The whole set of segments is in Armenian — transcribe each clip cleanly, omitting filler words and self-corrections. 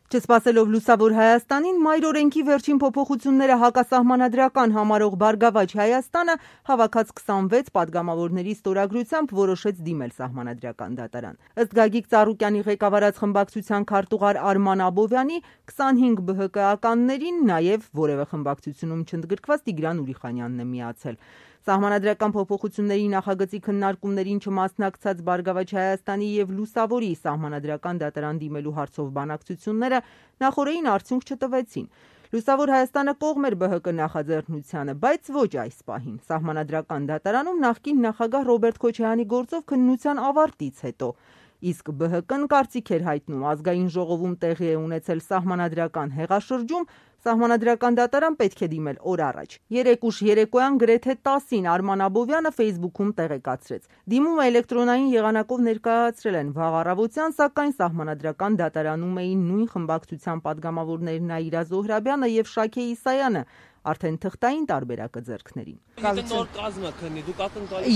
Չսպասելով լուսավոր Հայաստանին, մայր օրենքի վերջին փոփոխությունները հակասահմանադրական համարող Բարգավաճ Հայաստանը հավաքած 26 падգամավորների ստորագրությամբ որոշեց դիմել Սահմանադրական դատարան։ Ըստ Գագիկ Ծառուկյանի ղեկավարած խմբակցության քարտուղար Արման Աբովյանի, 25 ԲՀԿ-ականներին նաև որևէ խմբակցությունում չընդգրկված Տիգրան Ուրիխանյանն է միացել։ Սահմանադրական փոփոխությունների նախագծի քննարկումներին չմասնակցած Բարգավաճ Հայաստանի եւ Լուսավորի Սահմանադրական դատարան դիմելու հարցով բանակցությունները նախօրեին արդյունք չտվեցին։ Լուսավոր Հայաստանը կողմ էր ԲՀԿ նախաձեռնությանը, բայց ոչ այս պահին։ Սահմանադրական դատարանում նախկին նախագահ Ռոբերտ Քոչարյանի գործով քննության ավարտից հետո իսկ ԲՀԿ-ն կարծիք էր հայտնում ազգային ժողովում տեղի է ունեցել սահմանադրական հեղաշրջում, Սահմանադրական դատարան պետք է դիմել օր առաջ։ Երեկ ուշ երեկոյան գրեթե 10-ին Արման Աբովյանը Facebook-ում տեղեկացրեց. Դիմումը էլեկտրոնային եղանակով ներկայացրել են վաղ առավոտյան, սակայն Սահմանադրական դատարանում էին նույն խմբակցության падգամավորներ Նաիրա Զոհրաբյանը եւ Շաքե Իսայանը, արդեն թղթային տարբերակը ձեռքներին։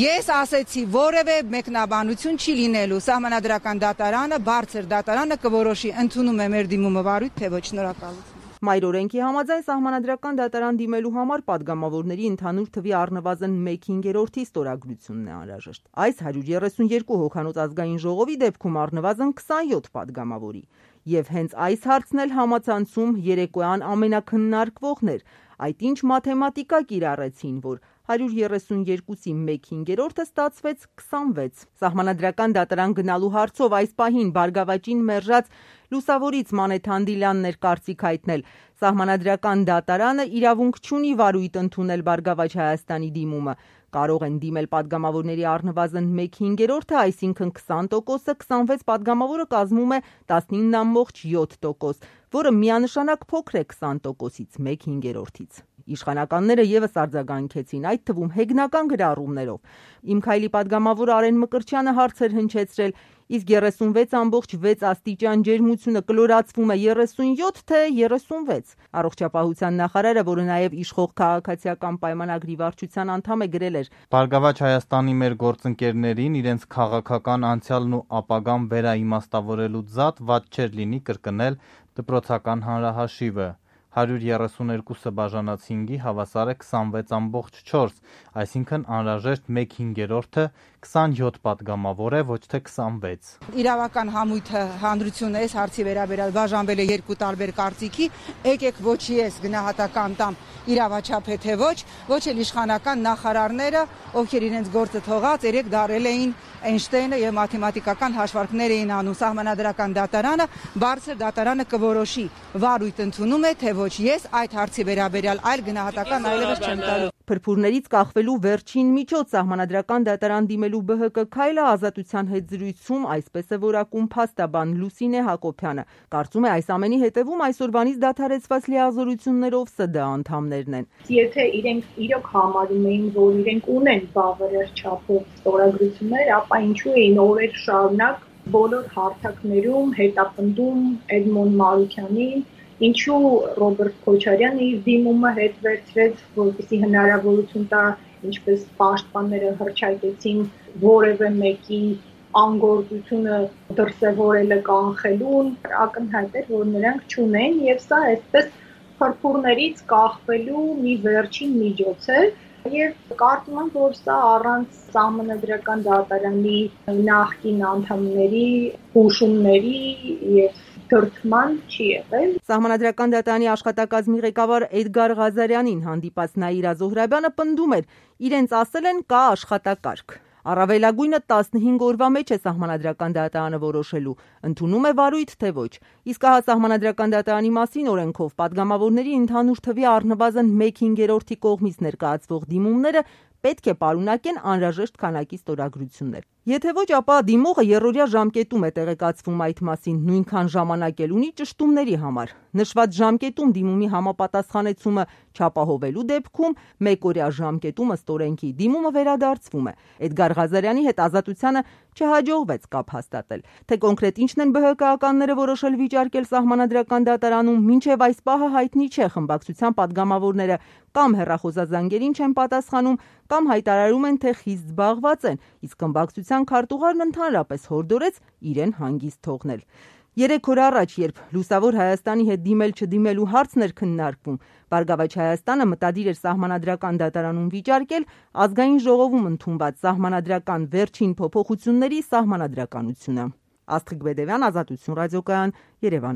Ես ասեցի, որևէ մեկնաբանություն չի լինելու, Սահմանադրական դատարանը, բարձր դատարանը կորոշի, ընդունում է մեր դիմումը վարույթ, թե ոչ, շնորհակալություն։ Մայր օրենքի համաձայն Սահմանադրական դատարան դիմելու համար падգամավորների ընդհանուր թվի առնվազն 1/5-ի ստորագրությունն է անհրաժեշտ։ Այս 132 հոգանոց ազգային ժողովի դեպքում առնվազն 27 падգամավորի։ Եվ հենց այս հարցն էլ համացանցում երեկոյան ամենաքննարկվողն էր։ Այդ ինչ մաթեմատիկա կիրառեցին, որ 132-ի 1/5-ը ստացվեց 26։ Սահմանադրական դատարան գնալու հարցով այս պահին Բարգավաճին մերժած Լուսավորից Մանեթ Հանդիլյանն էր կարծիք հայտնել. Սահմանադրական դատարանը իրավունք չունի վարույթ ընդունել Բարգավաճ Հայաստանի դիմումը։ Կարող են դիմել падգամավորների առնվազն 1/5-ը, այսինքն 20%-ը, 26 падգամավորը կազմում է 19,7%, որը միանշանակ փոքր է 20%-ից 1/5-ից։ Իշխանականները եւս արձագանքեցին, այդ թվում հեգնական գրառումներով։ Իմ քայլի падգամավոր Արեն Մկրտչյանը հարց էր հնչեցրել, իսկ 36,6 աստիճան ջերմությունը կլորացվում է 37 թե 36։ Առողջապահության նախարարը, որը նաև իշխող քաղաքացիական պայմանագրի վարչության անդամ է, գրել էր. Բարգավաճ Հայաստանի մեր գործընկերներին իրենց քաղաքական անցյալն ու ապագան վերաիմաստավորելու զատ ված չէր լինի կրկնել դպրոցական հանրահաշիվը։ 132-ը բաժանած 5-ի հավասար է 26,4, այսինքն անհրաժեշտ 1/5-ը 27 падգամավոր է, ոչ թե 26։ Իրավական համույթը հանրությունը այս հարցի վերաբերյալ բաժանվել է երկու տարբեր կարծիքի, եկեք ոչ ես գնահատական տամ իրավաչափ է թե ոչ էլ իշխանական նախարարները, ովքեր իրենց գործը թողած երեք դարել էին Էյնշտեյնը եւ մաթեմատիկական հաշվարկներ էին անում։ Սահմանադրական դատարանը, բարձր դատարանը կորոշի վարույթ ընդունում է թե ոչ։ Ես այդ հարցի վերաբերյալ այլ գնահատական այլևս չեմ տալու։ Փրփուրներից կախվելու վերջին միջոց Սահմանադրական դատարան դիմելու ԲՀԿ քայլը Ազատության հետ զրույցում այսպես է որակում փաստաբան Լուսինե Հակոբյանը։ Կարծում է այս ամենի հետևում այսօրվանից դադարեցված լիազորություններով ՍԴ անդամներն են։ Եթե իրենք իրոք համարում էին, որ իրենք ունեն բավարար չափով ստորագրություններ, ապա ինչու էին օրեր շարունակ բոլոր հարթակներում հետապնդում Էդմոն Մարուքյանին, ինչու Ռոբերտ Քոչարյանը իր դիմումը հետ վերցրեց, որպեսզի հնարավորություն տա, ինչպես պաշտպանները հռչակեցին, որևէ մեկի անգործությունը դրսևորելը կանխելուն, ակնհայտ էր, որ նրանք չունեն, եւ սա այսպես փրփուրներից կախվելու մի վերջին միջոց է, եւ կարծում եմ, որ սա առանց Սահմանադրական դատարանի նախկին անդամների հուշումների եւ դրդման չի եղել։ Սահմանադրական դատարանի աշխատակազմի ղեկավար Էդգար Ղազարյանին հանդիպած Նաիրա Զոհրաբյանը պնդում էր, իրենց ասել են կա աշխատակարգ։ Առավելագույնը 15 օրվա մեջ է Սահմանադրական դատարանը որոշելու, ընդունում է վարույթ թե ոչ։ Իսկ ահա Սահմանադրական դատարանի մասին օրենքով падգամավորների ընդհանուր թվի առնվազն 1/5-ի կողմից ներկայացվող դիմումները պետք է պարունակեն անհրաժեշտ քանակի ստորագրություններ։ Եթե ոչ, ապա դիմողը երրորդյա ժամկետում է տեղեկացվում այդ մասին, նույնքան ժամանակ էլ ունի ճշտումների համար։ Նշված ժամկետում դիմումի համապատասխանեցումը չապահովելու դեպքում մեկօրյա ժամկետում ըստ օրենքի դիմումը վերադարձվում է։ Էդգար Ղազարյանի հետ Ազատությանը չհաջողվեց կապ հաստատել։ Թե կոնկրետ ինչն են ԲՀԿ-ականները որոշել վիճարկել Սահմանադրական դատարանում, մինչև այս պահը հայտնի չէ։ Խմբակցության падգամավորները կամ հեռախոսազանգերին չեն պատասխանում, կամ հայտարարում են, թե խիստ զբաղված են, իսկ խմբակցության քարտուղարն ընդհանրապես հորդորեց իրեն հանգիստ թողնել։ 3 օր առաջ, երբ Լուսավոր Հայաստանի հետ դիմել-չդիմելու հարցն էր քննարկվում, Բարգավաճ Հայաստանը մտադիր էր Սահմանադրական դատարանում վիճարկել Ազգային ժողովում ընդունված Սահմանադրական վերջին փոփոխությունների սահմանադրականությունը։ Աստղիկ Բեդևյան, Ազատություն ռադիոկայան, Երևան։